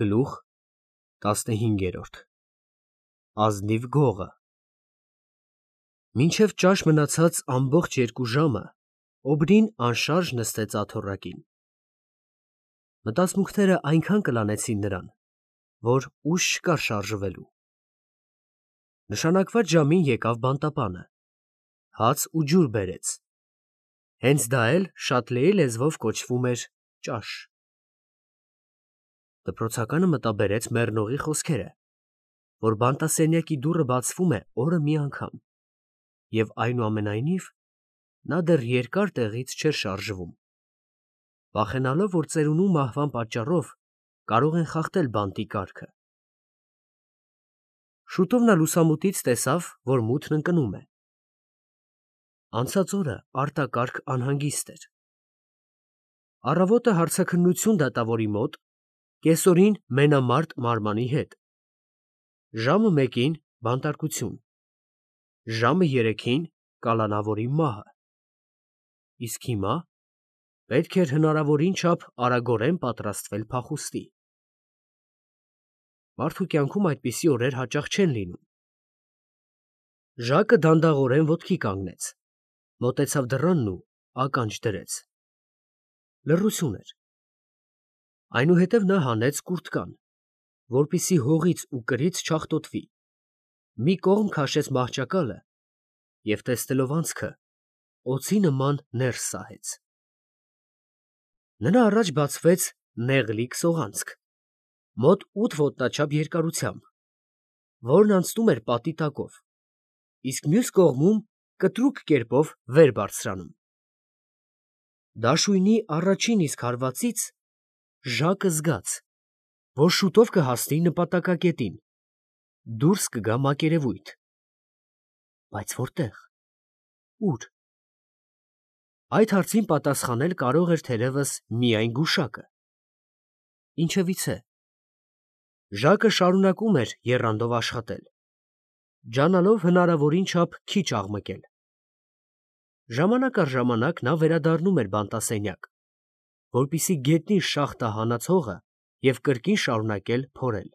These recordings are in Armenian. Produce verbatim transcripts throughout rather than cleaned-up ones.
Գլուխ տասնհինգերորդ Ազնիվ գողը Մինչև ճաշ մնացած ամբողջ երկու ժամը Օբրին անշարժ նստեց աթոռակին։ Մտածմունքները այնքան կլանեցին նրան, որ ուժ չկար շարժվելու։ Նշանակված ժամին եկավ բանտապանը, հաց ու ջուր բերեց։ Հենց դա էլ Շատլեի լեզվով կոչվում էր ճաշ։ Դպրոցականը մտաբերեց մեռնողի խոսքերը, որ բանտասենյակի դուռը բացվում է օրը մի անգամ, և այնուամենայնիվ նա դեռ երկար տեղից չէր շարժվում, վախենալով, որ ծերունու մահվան պատճառով կարող են խախտել բանտի կարգը։ Շուտով նա լուսամուտից տեսավ, որ մութն ընկնում է։ Անցած օրը արտակարգ անհանգիստ էր։ Առավոտը հարցաքննություն դատավորի մոտ, կեսօրին մենամարտ մարմանի հետ, ժամը մեկին բանտարկություն, ժամը երեքին կալանավորի մահը, իսկ հիմա պետք էր հնարավորին չափ արագորեն պատրաստվել փախուստի։ Մարդու կյանքում այդպիսի օրեր հաճախ չեն լինում։ Ժակը դանդաղորեն ոտքի կանգնեց, մոտեցավ դռանն ու ականջ դրեց։ Լռություն էր։ Այնուհետև նա հանեց կուրտկան, որպեսզի հողից ու կրից չաղտոտվի, մի կողմ քաշեց մահճակալը և, տեսնելով անցքը, օձի նման ներս սահեց։ Նրա առաջ բացվեց նեղլիկ սողանցք, մոտ ութ ոտնաչափ երկարությամբ, որն անցնում էր պատի տակով, իսկ մյուս կողմում կտրուկ կերպով վեր բարձրանում։ Դաշույնի առաջին իսկ հարվածից Ժակը զգաց, որ շուտով կհասնի նպատակակետին, դուրս կգա մակերևույթ։ Բայց որտե՞ղ, ո՞ւր։ Այդ հարցին պատասխանել կարող էր թերևս միայն գուշակը։ Ինչևիցե, Ժակը շարունակում էր եռանդով աշխատել, ջանալով հնարավորին չափ քիչ աղմկել։ Ժամանակ առ ժամանակ նա վերադառնում էր բանտասենյակ, որպեսզի գետնին շախտը հանած հողը և կրկին շարունակել փորել։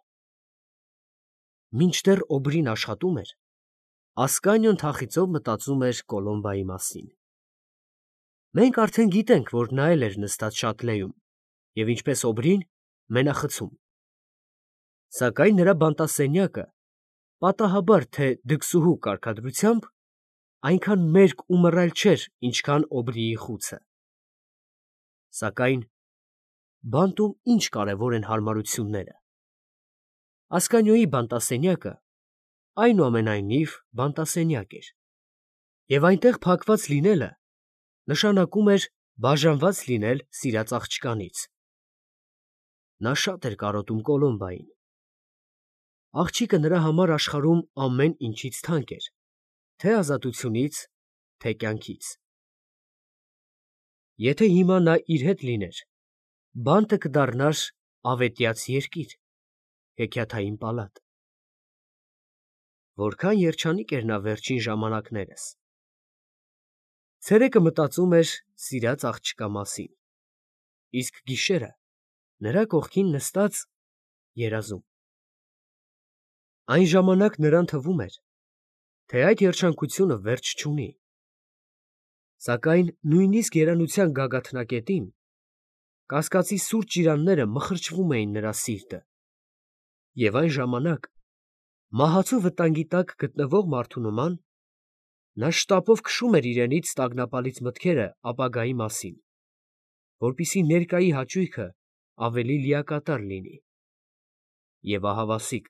Մինչդեռ Օբրին աշխատում էր, Ասկանիոն թախիծով մտածում էր Կոլոմբայի մասին։ Մենք արդեն գիտենք, որ նա էլ էր նստած Շատլեում և, ինչպես Օբրին, մենախցում։ Սակայն նրա բանտասենյակը, պատահաբար թե դքսուհու կարգադրությամբ, այնքան մերկ ու մռայլ չէր, ինչքան Օբրիի խուցը։ Սակայն բանտում ի՞նչ կարևոր են հարմարությունները։ Ասկանիոյի բանտասենյակը այնուամենայնիվ բանտասենյակ էր, և այնտեղ փակված լինելը նշանակում էր բաժանված լինել սիրած աղջկանից։ Նա շատ էր կարոտում Կոլոմբային։ Աղջիկը նրա համար աշխարհում ամեն ինչից թանկ էր, թե՛ ազատությունից, թե՛ կյանքից։ Եթե հիմա նա իր հետ լիներ, բանտը կդառնար ավետյաց երկիր, հեքիաթային պալատ։ Որքան երջանիկ էր նա վերջին ժամանակներս։ Ցերեկը մտածում էր սիրած աղջկա մասին, իսկ գիշերը նրա կողքին նստած երազում։ Այն ժամանակ նրան թվում էր, թե այդ երջանկությունը վերջ չունի։ Սակայն նույնիսկ երանության գագաթնակետին կասկածի սուր ճիրանները մխրճվում էին նրա սիրտը, և այն ժամանակ, մահացու վտանգի տակ գտնվող մարդու նման, նա շտապով քշում էր իրենից տագնապալից մտքերը ապագայի մասին, որպեսզի ներկայի հաճույքը ավելի լիակատար լինի։ Եվ ահավասիկ,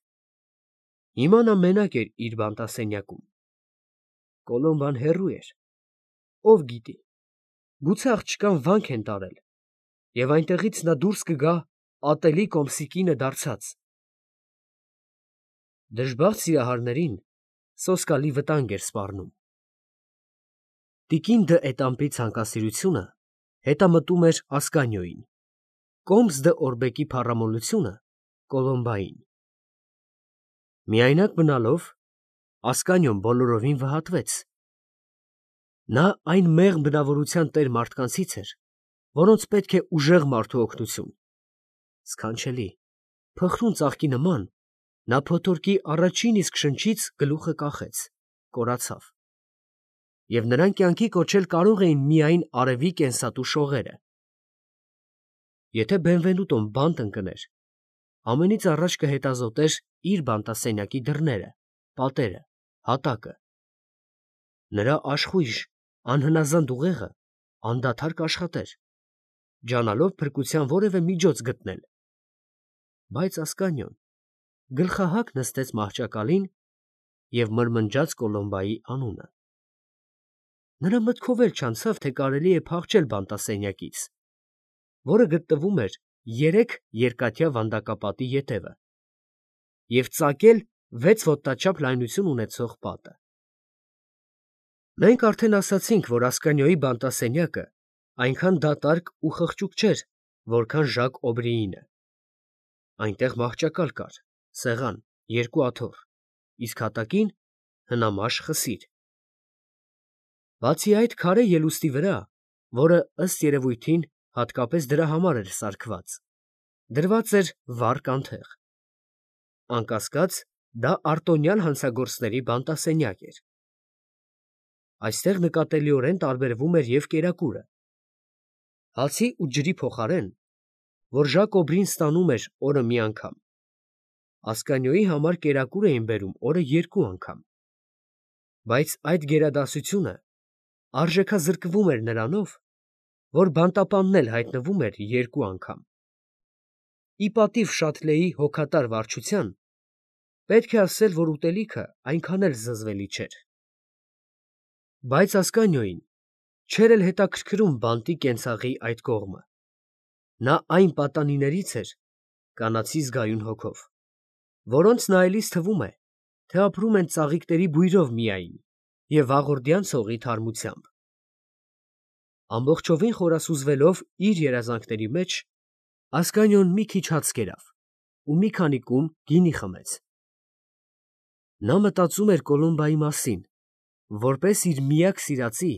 հիմա նա մենակ էր իր բանտասենյակում։ Կոլոմբան հեռու էր, ով գիտի, գուցե աղջկան վանք են տարել, և այնտեղից նա դուրս կգա ատելի կոմսի կինը դարձած։ Դժբախտ սիրահարներին սոսկալի վտանգ էր սպառնում։ Տիկին դը Էտամպի ցանկասիրությունը հետամտում էր Ասկանիոյին, Կոմս դը Օրբեկի փառամոլությունը՝ Կոլոմբային։ Միայնակ մնալով, Ասկանիոն բոլորովին վհատվեց։ Նա այն մեղմ բնավորության տեր մարդկանցից էր, որոնց պետք է ուժեղ մարդու օգնություն։ Սքանչելի, Փխրուն ծաղկի նման, նա փոթորկի առաջին իսկ շնչից գլուխը կախեց, կորացավ, և նրան կյանքի կոչել կարող էին միայն արևի կենսատու շողերը։ Եթե Բենվենուտոն բանտ ընկներ, ամենից առաջ կհետազոտեր իր բանտասենյակի դռները, պատերը, հատակը։ Նրա աշխույժ, անհնազանդ ուղեղը անդադար կաշխատեր, ջանալով փրկության որևէ միջոց գտնել։ Բայց Ասկանիոն գլխահակ նստեց մահճակալին և մրմնջաց Կոլոմբայի անունը։ Նրա մտքով էլ չանցավ, թե կարելի է փախչել բանտասենյակից, որը գտնվում էր երեք երկաթյա վանդակապատի ետևը, և ծակել վեց ոտնաչափ լայնություն ունեցող պատը։ Մենք արդեն ասացինք, որ Ասկանիոյի բանտասենյակը այնքան դատարկ ու խղճուկ չէր, որքան Ժակ Օբրիինը։ Այնտեղ մահճակալ կար, սեղան, երկու աթոռ, իսկ հատակին հնամաշ խսիր։ Բացի այդ, քարե ելուստի վրա, որը ըստ երևույթին հատկապես դրա համար էր սարքված, դրված էր վառ կանթեղ։ Անկասկած, դա արտոնյալ հանցագործների բանտասենյակ էր։ Այստեղ նկատելիորեն տարբերվում էր և կերակուրը։ Հացի ու ջրի փոխարեն, որ Ժակ Օբրին ստանում էր օրը մի անգամ, Ասկանիոյի համար կերակուր էին բերում օրը երկու անգամ։ Բայց այդ գերադասությունը արժեքազրկվում էր նրանով, որ բանտապանն էլ հայտնվում էր երկու անգամ։ Ի պատիվ Շաթլեի հոգատար վարչության, պետք է ասել, որ ուտելիքը այնքան էլ զզվելի չէր։ Բայց Ասկանիոյին չէր էլ հետաքրքրում բանտի կենցաղի այդ կողմը։ Նա այն պատանիներից էր, կանացի զգայուն հոգով, որոնց նայելիս թվում է, թե ապրում են ծաղիկների բույրով միայն և վաղորդյան ցողի թարմությամբ։ Ամբողջովին խորասուզվելով իր երազանքների մեջ, Ասկանիոն մի քիչ հաց կերավ ու մի քանի կում գինի խմեց։ Նա մտածում էր Կոլոմբայի մասին, որպես իր միակ սիրածի,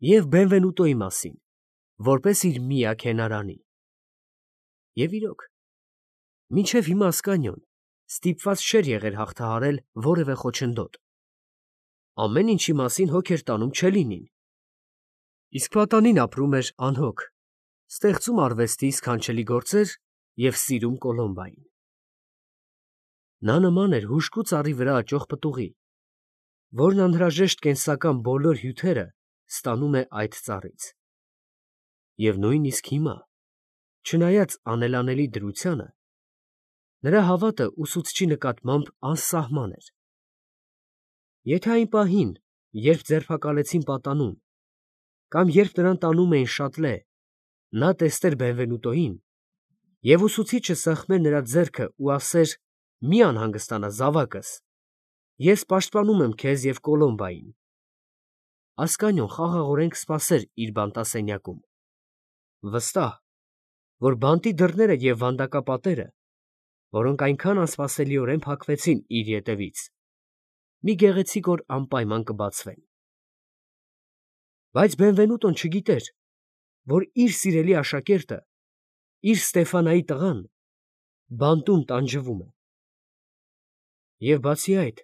և Բենվենուտոյի մասին, որպես իր միակ հենարանի։ Եվ իրոք, մինչև հիմա Ասկանիոն ստիպված չէր եղել հաղթահարել որևէ խոչընդոտ։ Ամեն ինչի մասին հոգ էր տանում Չելլինին, իսկ պատանին ապրում էր անհոգ, ստեղծում արվեստի սքանչելի գործեր և սիրում Կոլոմբային։ Նա նման էր հուժկու ծառի վրա աճող պտուղի, որն անհրաժեշտ կենսական բոլոր հյութերը ստանում է այդ ծառից։ Եվ նույնիսկ հիմա, չնայած անելանելի դրությանը, նրա հավատը ուսուցչի նկատմամբ անսահման էր։ Եթե այն պահին, երբ ձերբակալեցին պատանուն, կամ երբ նրան տանում էին Շատլե, նա տեսներ Բենվենուտոյին, և ուսուցիչը սեղմեր նրա ձեռքը ու ասեր. «Մի անհանգստանա, զավակս, ես պաշտպանում եմ քեզ և Կոլոմբային», Ասկանիոն խաղաղորեն կսպասեր իր բանտասենյակում, վստահ, որ բանտի դռները և վանդակապատերը, որոնք այնքան անսպասելիորեն փակվեցին իր ետևից, մի գեղեցիկ օր անպայման կբացվեն։ Բայց Բենվենուտոն չգիտեր, որ իր սիրելի աշակերտը, իր Ստեֆանայի տղան, բանտում տանջվում է։ Եվ բացի այդ,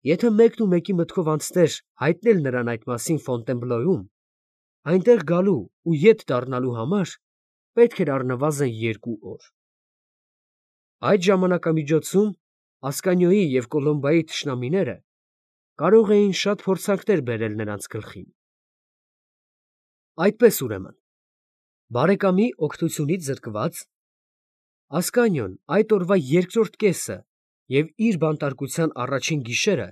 եթե մեկն ու մեկի մտքով անցներ հայտնել նրան այդ մասին Ֆոնտենբլոյում, այնտեղ գալու ու ետ դառնալու համար պետք էր առնվազն երկու օր։ Այդ ժամանակամիջոցում Ասկանիոյի և Կոլոմբայի թշնամիները կարող էին շատ փորձանքներ բերել նրանց գլխին։ Այդպես, ուրեմն, բարեկամի օգնությունից զրկված, Ասկանիոն այդ օրվա երկրորդ կեսը և իր բանտարկության առաջին գիշերը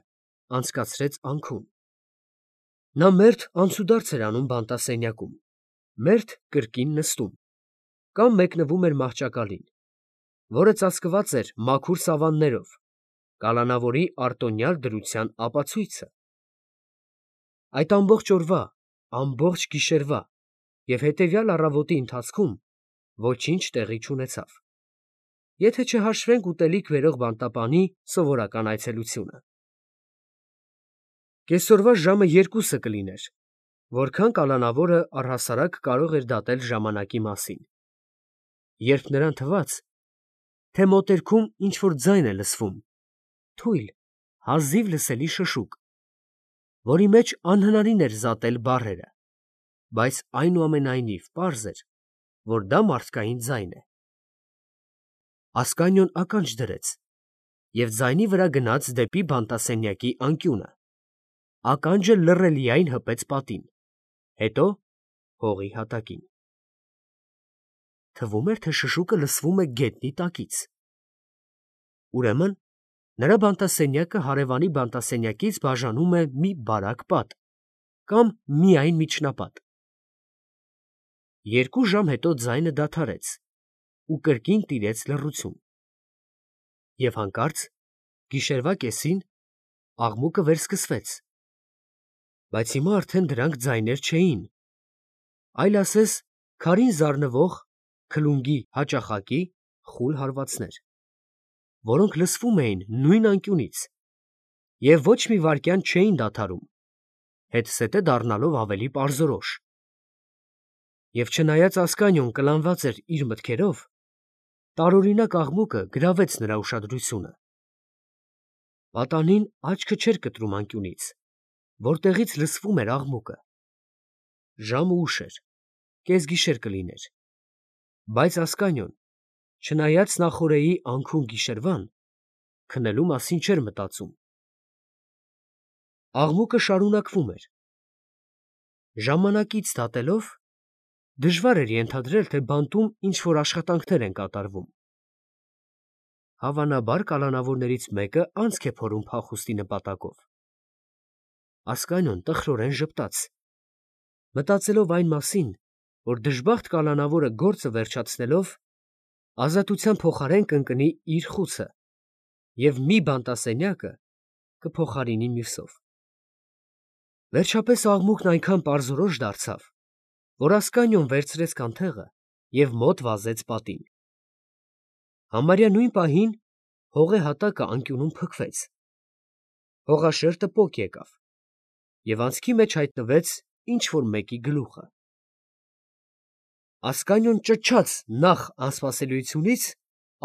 անցկացրեց անքուն։ Նա մերթ անցուդարձ էր անում բանտասենյակում, մերթ կրկին նստում, կամ մեկնվում էր մահճակալին, որը ծածկված էր մաքուր սավաններով, կալանավորի արտոնյալ դրության ապացույցը։ Այդ ամբողջ օրվա, ամբողջ գիշերվա և հետևյալ առավոտի ընթացքում ոչինչ տեղի չունեցավ, եթե չհաշվենք ուտելիք բերող բանտապանի սովորական այցելությունը։ Կեսօրվա ժամը երկուսը կլիներ, որքան կալանավորը առհասարակ կարող էր դատել ժամանակի մասին, երբ նրան թվաց, թե մոտերքում ինչ-որ ձայն է լսվում, թույլ, հազիվ լսելի շշուկ, որի մեջ անհնարին էր զատել բառերը, բայց այնուամենայնիվ պարզ էր, որ դա մարդկային ձայն է։ Ասկանիոն ականջ դրեց և ձայնի վրա գնաց դեպի բանտասենյակի անկյունը, ականջը լռելիայն հպեց պատին, հետո հողի հատակին։ Թվում էր, թե շշուկը լսվում է գետնի տակից։ Ուրեմն նրա բանտասենյակը հարևանի բանտասենյակից բաժանում է մի բարակ պատ կամ միայն միջնապատ։ Երկու ժամ հետո ձայնը դադարեց ու կրկին տիրեց լռություն։ Եվ հանկարծ գիշերվա կեսին աղմուկը վերսկսվեց, բայց հիմա արդեն դրանք ձայներ չէին, այլ ասես քարին զարնվող քլունգի հաճախակի խուլ հարվածներ, որոնք լսվում էին նույն անկյունից և ոչ մի վայրկյան չէին դադարում, հետզհետե դառնալով ավելի պարզորոշ։ Եվ չնայած Ասկանիոն կլանված էր իր մտքերով, տարօրինակ աղմուկը գրավեց նրա ուշադրությունը։ Պատանին աչքը չէր կտրում անկյունից, որտեղից լսվում էր աղմուկը։ Ժամը ուշ էր, կեսգիշեր կլիներ, բայց Ասկանիոն, չնայած նախօրեի անքուն գիշերվան, քնելու մասին չէր մտածում։ Աղմուկը շարունակվում էր։ Ժամանակից դատելով դժվար էր ենթադրել, թե բանտում ինչ-որ աշխատանքներ են կատարվում։ Հավանաբար կալանավորներից մեկը անցք է փորում փախուստի նպատակով։ Ասկանիոն տխրորեն ժպտաց, մտածելով այն մասին, որ դժբախտ կալանավորը գործը վերջացնելով ազատության փոխարեն կընկնի իր խուցը և մի բանտասենյակը կփոխարինի մյուսով։ Վերջապես աղմուկն այնքան պարզորոշ դարձավ, որ Ասկանիոն վերցրեց կանթեղը և մոտ վազեց պատին։ Համարյա նույն պահին հողե հատակը անկյունում փքվեց, հողաշերտը պոկ եկավ, և անցքի մեջ հայտնվեց ինչ֊որ մեկի գլուխը։ Ասկանիոն ճչաց նախ անսպասելիությունից,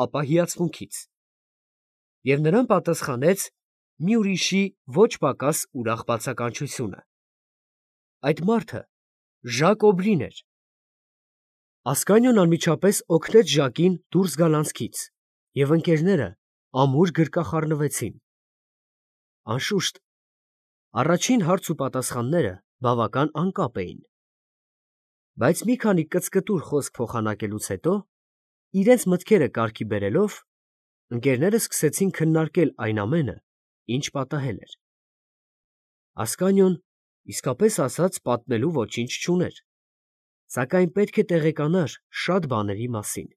ապա հիացմունքից, և նրան պատասխանեց մի ուրիշի ոչ պակաս ուրախ բացականչությունը։ Այդ մարդը Ժակ Օբրին էր։ Ասկանիոն անմիջապես օգնեց Ժակին դուրս գալ անցքից, և ընկերները ամուր գրկախառնվեցին։ Անշուշտ, առաջին հարց ու պատասխանները բավական անկապ էին, բայց մի քանի կծկտուր խոսք փոխանակելուց հետո, իրենց մտքերը կարգի բերելով, ընկերները սկսեցին քննարկել այն ամենը, ինչ պատահել էր։ Ասկանիոն, իսկապես ասած, պատմելու ոչինչ չուներ, սակայն պետք է տեղեկանար շատ բաների մասին։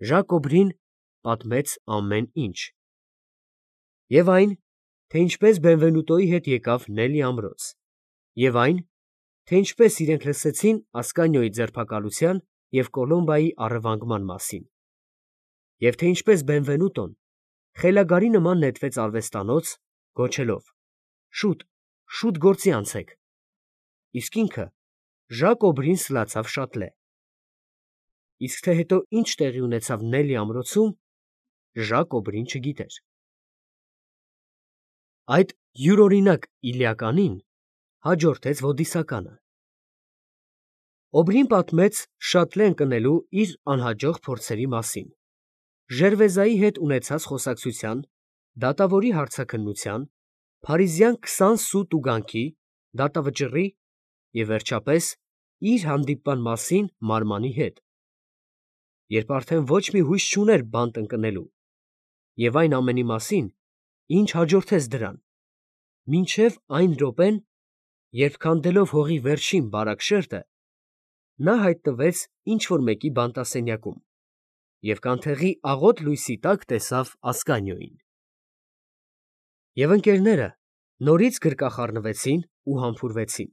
Ժակ Օբրին պատմեց ամեն ինչ։ Եվ այն, թե ինչպես Բենվենուտոյի հետ եկավ Նելի ամրոց, և այն, թե ինչպես իրենք լսեցին Ասկանիոյի ձերբակալության և Կոլոմբայի առևանգման մասին, և թե ինչպես Բենվենուտոն խելագարի նման նետվեց արվեստանոց, գոչելով. «Շուտ, շուտ գործի անցեք», իսկ ինքը Ժակ Օբրին սլացավ շատ լե։ Իսկ թե հետո ինչ տեղի ունեցավ Նելի ամրոցում, Ժակ Օբրին չգիտեր։ Այդ յուրօրինակ Իլիականին հաջորդեց Ոդիսականը։ Օբրին պատմեց շատ լե ընկնելու իր անհաջող փորձերի մասին, Ժերվեզայի հետ ունեցած խոսակցության, դատավորի հարցաքննության, փարիզյան քսան սու տուգանքի, դատավճռի և վերջապես իր հանդիպման մասին մարմանի հետ, երբ արդեն ոչ մի հույս չուներ բանտ ընկնելու, և այն ամենի մասին, ինչ հաջորդեց դրան, մինչև այն րոպեն, երբ քանդելով հողի վերջին բարակ շերտը, նա հայտնվեց ինչ֊որ մեկի բանտասենյակում և կանթեղի աղոտ լույսի տակ տեսավ Ասկանիոյին։ Եվ ընկերները նորից գրկախառնվեցին ու համբուրվեցին։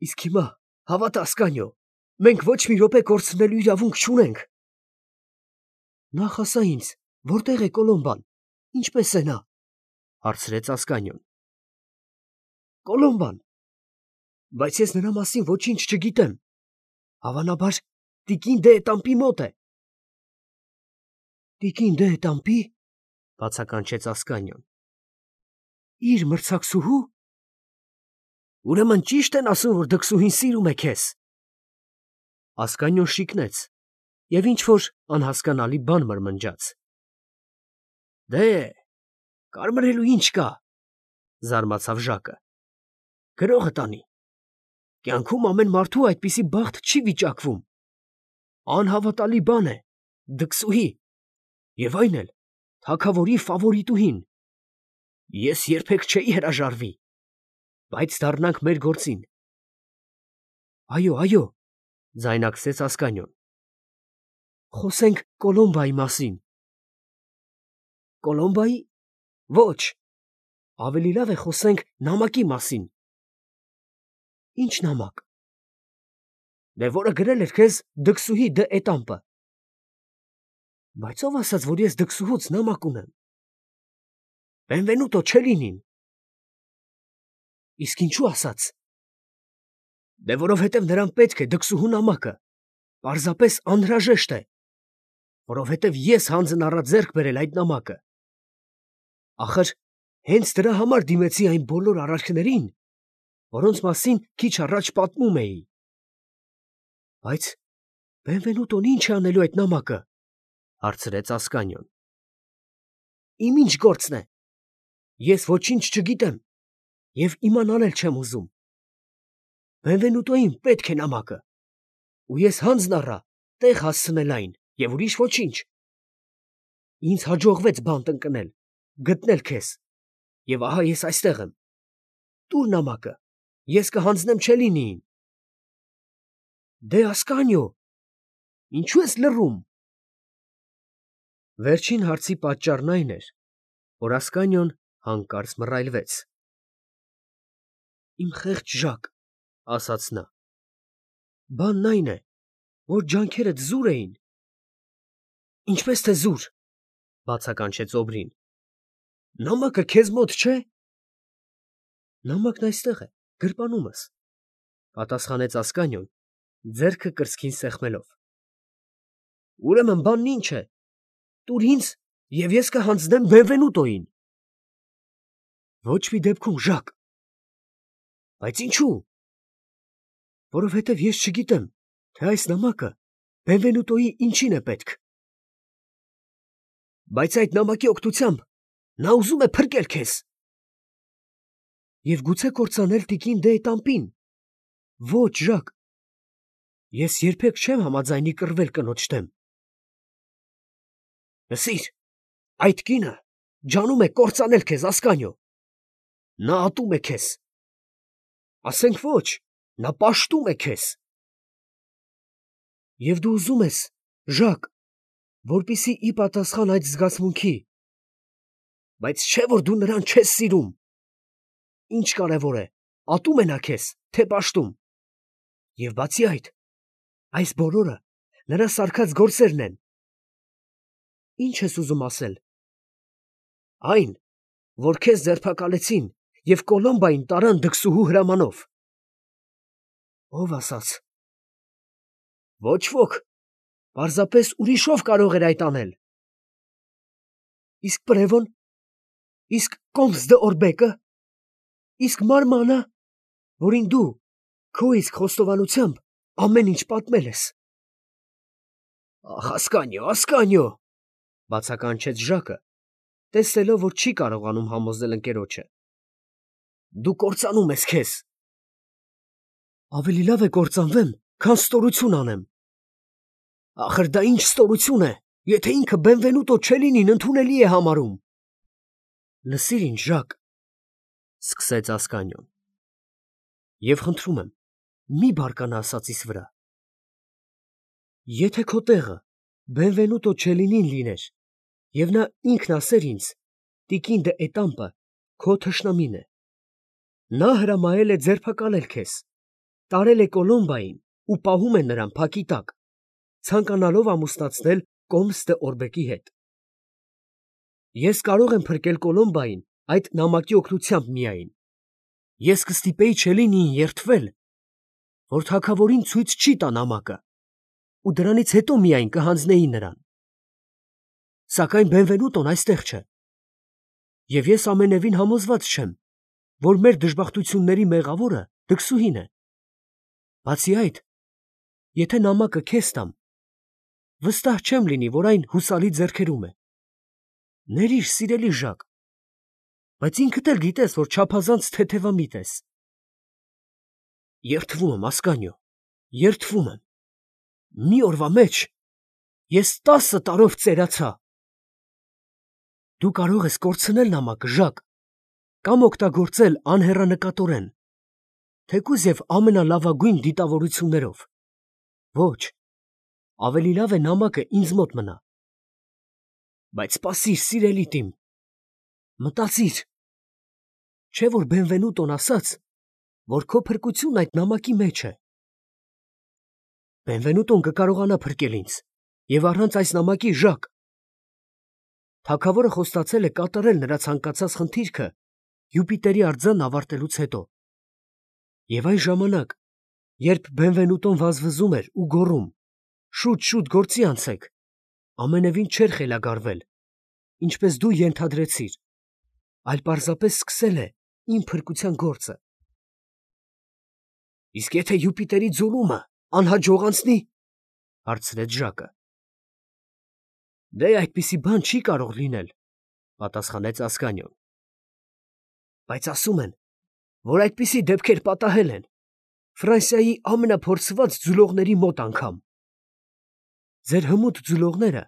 Իսկ հիմա, հավատա Ասկանիո, մենք ոչ մի րոպե կորցնելու իրավունք չունենք։ Նախ ասա ինձ, որտե՞ղ է Կոլոմբան, ինչպե՞ս է նա, հարցրեց Ասկանիոն։ Կոլոմբան, բայց ես նրա մասին ոչինչ չգիտեմ, հավանաբար տիկին դե Էտամպի մոտ է։ Տիկին դե տամպի, բացականչեց Ասկանյոն։ Իր մրցակցուհու։ Ուրեմն ճիշտ են ասում, որ դքսուհին սիրում է քեզ։ Ասկանյոն շիկնեց և ինչ-որ անհասկանալի բան մրմնջաց։ Դե, կարմրելու ինչ կա, զարմացավ Ժակը։ Գրողը տանի։ Կյանքում ամեն մարդու այդպիսի բախտ չի վիճակվում։ Անհավատալի բան է, դքսուհի, և այն էլ թագավորի ֆավորիտուհին։ Ես երբեք չէի հրաժարվի, բայց դառնանք մեր գործին։ Այո, այո, ձայնարկեց Ասկանյոն։ Խոսենք Կոլոմբայի մասին։ Կոլոմբայի։ Ոչ, ավելի լավ է խոսենք նամակի մասին։ Ինչ նամակ։ Դե որը գրել էր քեզ դքսուհի դե էտամպը։ Բայց ով ասաց, որ ես դքսուհուց նամակ ունեմ։ Բենվենուտո Չելինին։ Իսկ ինչու ասաց։ Դե որովհետև նրան պետք է դքսուհու նամակը, պարզապես անհրաժեշտ է, որովհետև ես հանձն առա ձեռք բերել այդ նամակը։ Ախր հենց դրա համար դիմեցի այն բոլոր արարքներին, որոնց մասին քիչ առաջ պատմում էի։ Բայց Բենվենուտոն ինչ է անելու այդ նամակը, հարցրեց Ասկանյոն։ Իմ ինչ գործն է։ Ես ոչինչ չգիտեմ և իմանալ էլ չեմ ուզում։ Բենվենուտոյին պետք է նամակը, ու ես հանձն առա տեղ հասցնել այն և ուրիշ ոչինչ։ Ինձ հաջողվեց բան տնկնել, գտնել քեզ, և ահա ես այստեղ եմ։ Տուր նամակը, ես կհանձնեմ Չելինիին։ Դե Ասկանյո, ինչու ես լռում։ Վերջին հարցի պատճառն այն էր, որ Ասկանյոն հանկարծ մռայլվեց։ Իմ խեղճ Ժակ, ասաց նա, բանն այն է, որ ջանքերդ զուր էին։ Ինչպես թե զուր, բացականչեց Օբրին։ Նամակը քեզ մոտ չէ։ Նամակն այստեղ է, գրպանումս, պատասխանեց Ասկանյոն, ձեռքը կրծքին սեղմելով։ Ուրեմն բանն ինչ է։ Տուր ինձ, և ես կհանձնեմ Բենվենուտոյին։ Ոչ մի դեպքում, Ժակ։ Բայց ինչու։ Որովհետև ես չգիտեմ, թե այս նամակը Բենվենուտոյի ինչին է պետք։ Բայց այդ նամակի օգնությամբ նա ուզում է փրկել քեզ։ Եվ գուցե կործանել տիկին դե էտամպին։ Ոչ, Ժակ։ Ես երբեք չեմ համաձայնի կռվել կնոջ դեմ։ Լսիր, այդ կինը ջանում է կործանել քեզ, Ասկանյո։ Նա ատում է քեզ։ Ասենք ոչ, նա պաշտում է քեզ։ Եվ դու ուզում ես, Ժակ, որպեսզի ի պատասխան այդ զգացմունքի, բայց չէ որ դու նրան չես սիրում։ Ինչ կարևոր է, ատում է նա քեզ, թե պաշտում։ Եվ բացի այդ, այս բոլորը նրա սարքած գործերն են։ Ինչ ես ուզում ասել։ Այն, որ քեզ ձերբակալեցին և Կոլոմբային տարան դքսուհու հրամանով։ Ով ասաց։ Ոչ ոք, պարզապես ուրիշով կարող էր այդ անել։ Իսկ Պրևոն, իսկ Կոմս դը Օրբեկը, իսկ Մարմանը, որին դու քո իսկ խոստովանությամբ ամեն ինչ պատմել ես։ Ախ, Ասկանյո, Ասկանյո, բացականչեց Ժակը, տեսնելով, որ չի կարողանում համոզել ընկերոջը։ Դու կործանում ես քեզ։ Ավելի լավ է կործանվեմ, քան ստորություն անեմ։ Ախր դա ինչ ստորություն է, եթե ինքը Բենվենուտո Չելինին ընդունելի է համարում։ Լսիր ինձ, Ժակ, սկսեց Ասկանյոն, և խնդրում եմ, մի բարկանա ասածիս վրա։ Եթե քո տեղը Բենվենուտո Չելինին լիներ, և նա ինքն ասեր ինձ, տիկին դե էտամպը քո թշնամին է։ Նա հրամայել է ձերբակալել քեզ, տարել է Կոլոմբային ու պահում է նրան փակի տակ, ցանկանալով ամուսնացնել Կոմս դը Օրբեկի հետ։ Ես կարող եմ փրկել Կոլոմբային այդ նամակի օգնությամբ միայն։ Ես կստիպեի Չելինիին երդվել, որ թագավորին ցույց չի տա նամակը, ու դրանից հետո միայն կհանձնեի նրան։ Սակայն Բենվենուտոն այստեղ չէ։ Եվ ես ամենևին համոզված չեմ, որ մեր դժբախտությունների մեղավորը դքսուհին է։ Բացի այդ, եթե նամակը քեզ տամ, վստահ չեմ լինի, որ այն հուսալի ձեռքերում է։ Ներիր, սիրելի Ժակ, բայց ինքդ էլ գիտես, որ չափազանց թեթևամիտ ես։ Երդվում եմ, Ասկանյո, երդվում եմ։ Մի օրվա մեջ ես տասը տարով ծերացա։ Դու կարող ես կորցնել նամակը, Ժակ, կամ օգտագործել անհեռանկատորեն, թեկուզ և ամենալավագույն դիտավորություններով։ Ոչ, ավելի լավ է նամակը ինձ մոտ մնա։ Բայց սպասիր, սիրելի տիմ, մտածիր, չէ՞ որ Բենվենուտոն ասաց, որ քո փրկությունն այդ նամակի մեջ է։ Բենվենուտոն կկարողանա փրկել ինձ, և առանց այս նամակի, Ժակ։ Թագավորը խոստացել է կատարել նրա ցանկացած խնդիրքը Յուպիտերի արձանն ավարտելուց հետո։ Եվ այն ժամանակ, երբ Բենվենուտոն վազվզում էր ու գոռում. «Շուտ, շուտ գործի անցեք», ամենևին չէր խելագարվել, ինչպես դու ենթադրեցիր, այլ պարզապես սկսել է իմ փրկության գործը։ Իսկ եթե Յուպիտերի ձուլումը անհաջողանցնի, հարցրեց Ժակը։ Դե այդպիսի բան չի կարող լինել, պատասխանեց Ասկանիոն։ Բայց ասում են, որ այդպիսի դեպքեր պատահել են Ֆրանսիայի ամենափորձված ձուլողների մոտ անգամ։ Ձեր հմուտ ձուլողները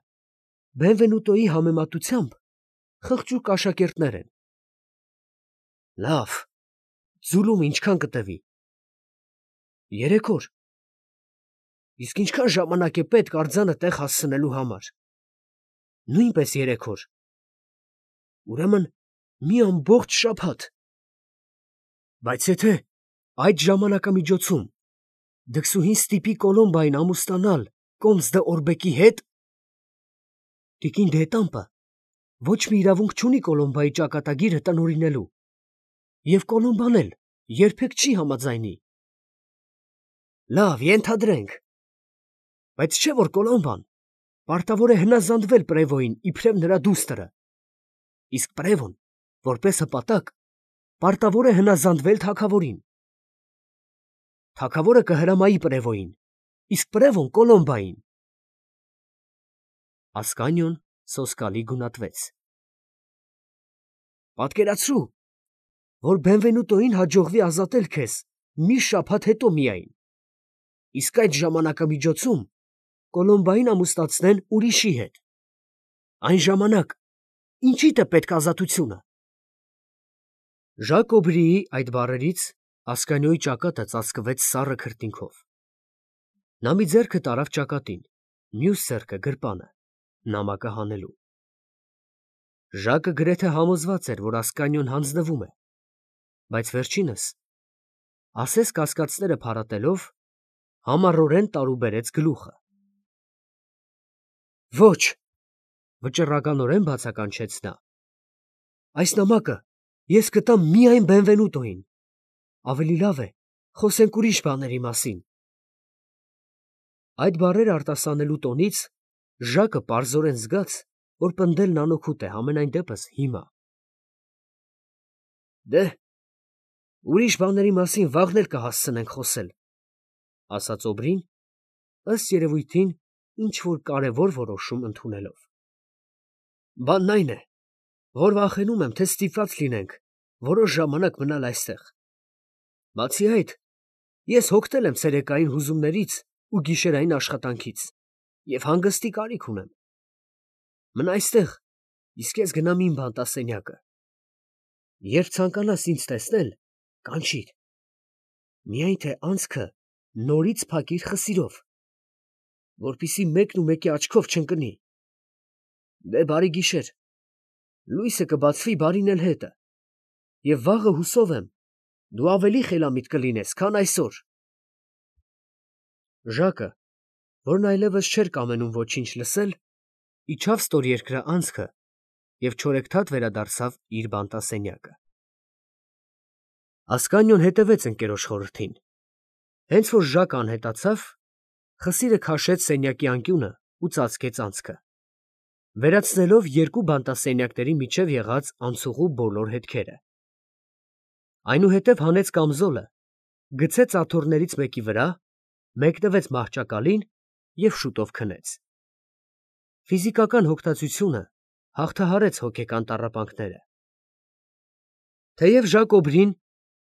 Բենվենուտոյի համեմատությամբ խղճուկ աշակերտներ են։ Լավ, ձուլումը ինչքան կտևի։ Երեք օր։ Իսկ ինչքան ժամանակ է պետք արձանը տեղ հասցնելու համար։ Նույնպես երեք օր։ Ուրեմն մի ամբողջ շաբաթ։ Բայց եթե այդ ժամանակամիջոցում դքսուհին ստիպի Կոլոմբային ամուսնանալ Կոմս դը Օրբեկի հետ, տիկին Դետամպը ոչ մի իրավունք չունի Կոլոմբայի ճակատագիրը տնօրինելու, և Կոլոմբան էլ երբեք չի համաձայնի։ Լավ, ենթադրենք։ Բայց չէ՞ որ Կոլոմբան պարտավոր է հնազանդվել Պրևոյին իբրև նրա դուստրը, իսկ Պրևոն, որպես հպատակ, պարտավոր է հնազանդվել թագավորին։ Թագավորը կհրամայի Պրևոյին, իսկ Պրևոն Կոլոմբային։ Ասկանիոն սոսկալի գունատվեց։ Պատկերացրու, որ Բենվենուտոյին հաջողվի ազատել քեզ մի շաբաթ հետո միայն, իսկ այդ ժամանակամիջոցում Կոլոմբային ամուսնացնեն ուրիշի հետ։ Այն ժամանակ ինչի՞դ է պետք ազատությունը։ Ժակ Օբրիի այդ բառերից Ասկանիոյի ճակատը ծածկվեց սառը քրտինքով։ Նա մի ձեռքը տարավ ճակատին, մյուս ձեռքը գրպանը, նամակը հանելու։ Ժակը գրեթե համոզված էր, որ Ասկանիոն հանձնվում է, բայց վերջինս, ասես կասկածները փարատելով, համառորեն տարուբերեց գլուխը։ Ոչ, վճռականորեն բացականչեց նա։ Այս նամակը ես կտամ միայն Բենվենուտոյին։ Ավելի լավ է, խոսենք ուրիշ բաների մասին։ Այդ բառերը արտասանելու տոնից Ժակը պարզորեն զգաց, որ պնդելն անօգուտ է, համենայն դեպս հիմա։ Դե, ուրիշ բաների մասին վաղն էլ կհասցնենք խոսել, ասաց Օբրին, ըստ երևույթին ինչ֊որ կարևոր որոշում ընդունելով։ Բանն այն է, որ վախենում եմ, թե ստիպված լինենք որոշ ժամանակ մնալ այստեղ։ Բացի այդ, ես հոգնել եմ ցերեկային հուզումներից ու գիշերային աշխատանքից և հանգստի կարիք ունեմ։ Մնա այստեղ, իսկ ես գնամ իմ բանտասենյակը։ Երբ ցանկանաս ինձ տեսնել, կանչիր։ Միայն թե անցքը նորից փակիր խսիրով, որպեսզի մեկն ու մեկի աչքով չընկնի։ Դե բարի գիշեր, լույսը կբացվի բարին էլ հետը, և վաղը հուսով եմ, դու ավելի խելամիտ կլինես, քան այսօր։ Ժակը, որն այլևս չէր կամենում ոչինչ լսել, իջավ ստորերկրը անցքը և չորեքթաթ վերադարձավ իր բանտասենյակը։ Ասկանիոն հետևեց ընկերոջ խորհրդին։ Հենց որ Ժակը անհետացավ, խսիրը քաշեց սենյակի անկյունը ու ծածկեց անցքը։ վերացնելով երկու բանտասենյակների միջև եղած անցուղու բոլոր հետքերը։ Այնուհետև հանեց կամզոլը, գցեց աթոռներից մեկի վրա, մեկնվեց մահճակալին և շուտով քնեց։ Ֆիզիկական հոգտածությունը հաղթահարեց հոգեկան տառապանքները։ Թեև Ժակոբրին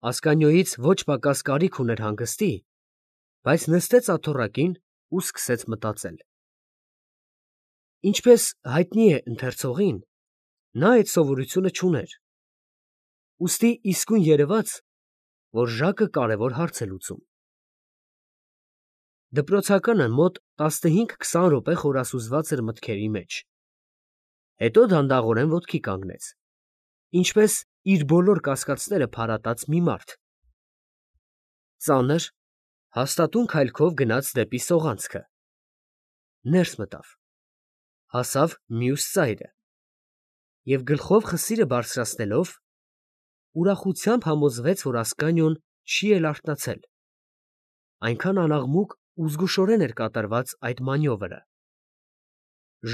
Ասկանյոյից ոչ պակաս կարիք ուներ հանգստի, բայց նստեց աթոռակին ու սկսեց մտածել։ Ինչպես հայտնի է ընթերցողին, նա այդ սովորությունը չուներ, ուստի իսկույն երևաց, որ Ժակը կարևոր հարց է լուծում։ Դպրոցականը մոտ տասնհինգ֊քսան րոպե խորասուզված էր մտքերի մեջ, հետո դանդաղորեն ոտքի կանգնեց, ինչպես իր բոլոր կասկածները փարատած մի մարդ, ծանր, հաստատուն քայլքով գնաց դեպի սողանցքը, ներս մտավ, հասավ մյուս ծայրը և գլխով խսիրը բարձրացնելով, ուրախությամբ համոզվեց, որ Ասկանիոն չի էլ արթնացել, այնքան անաղմուկ ու զգուշորեն էր կատարված այդ մանյովրը։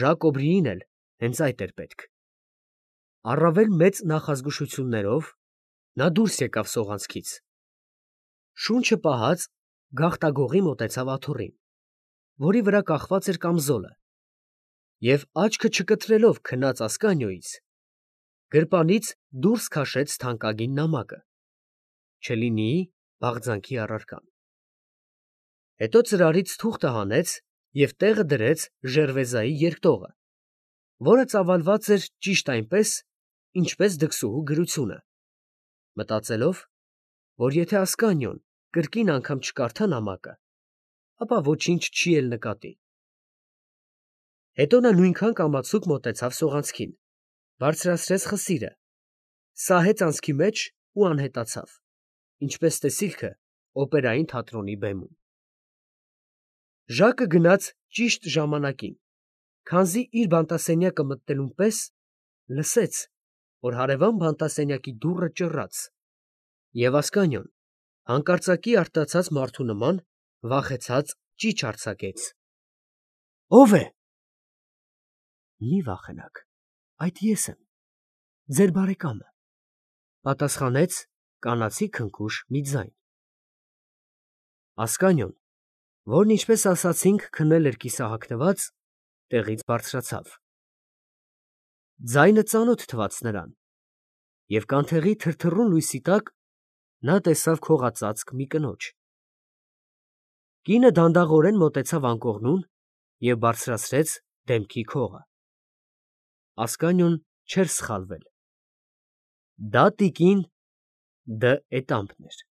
Ժակոբրիին էլ հենց այդ էր պետք։ Առավել մեծ նախազգուշություններով նա դուրս եկավ սողանցքից, շունչը պահած գաղտագողի մոտեցավ աթոռին, որի վրա կախված էր կամզոլը, և աչքը չկտրելով քնած Ասկանիոյից, գրպանից դուրս քաշեց թանկագին նամակը, չլինի բաղձանքի առարկան։ Հետո ծրարից թուղթը հանեց և տեղը դրեց ժերվեզայի երկտողը, որը ծավալված էր ճիշտ այնպես, ինչպես դքսուհու գրությունը, մտածելով, որ եթե Ասկանիոն կրկին անգամ չկարդա նամակը, ապա ոչինչ չի էլ նկատի։ Հետո նա նույնքան կամացուկ մոտեցավ սողանցքին, բարձրացրեց խսիրը, սահեց անցքի մեջ ու անհետացավ, ինչպես տեսիլքը օպերային թատրոնի բեմում։ Ժակը գնաց ճիշտ ժամանակին, քանզի իր բանտասենյակը մտնելուն պես լսեց, որ հարևան բանտասենյակի դուռը ճռաց, և Ասկանիոն հանկարծակի արթնացած մարդու նման վախեցած ճիչ արձակեց. ո՞վ է։ ֊ Մի վախենաք, այդ ես եմ, ձեր բարեկամը, ֊ պատասխանեց կանացի քնքուշ մի ձայն։ Ասկանիոն, որն ինչպես ասացինք քնել էր կիսահագնված, տեղից բարձրացավ։ Ձայնը ծանոթ թվաց նրան, և կանթեղի թրթռուն լույսի տակ նա տեսավ քողածածկ մի կնոջ։ Կինը դանդաղորեն մոտեցավ անկողնուն և բարձրացրեց դեմքի քողը։ Ասկանիոն չէր սխալվել. դա տիկին Դ. Էտամպն էր։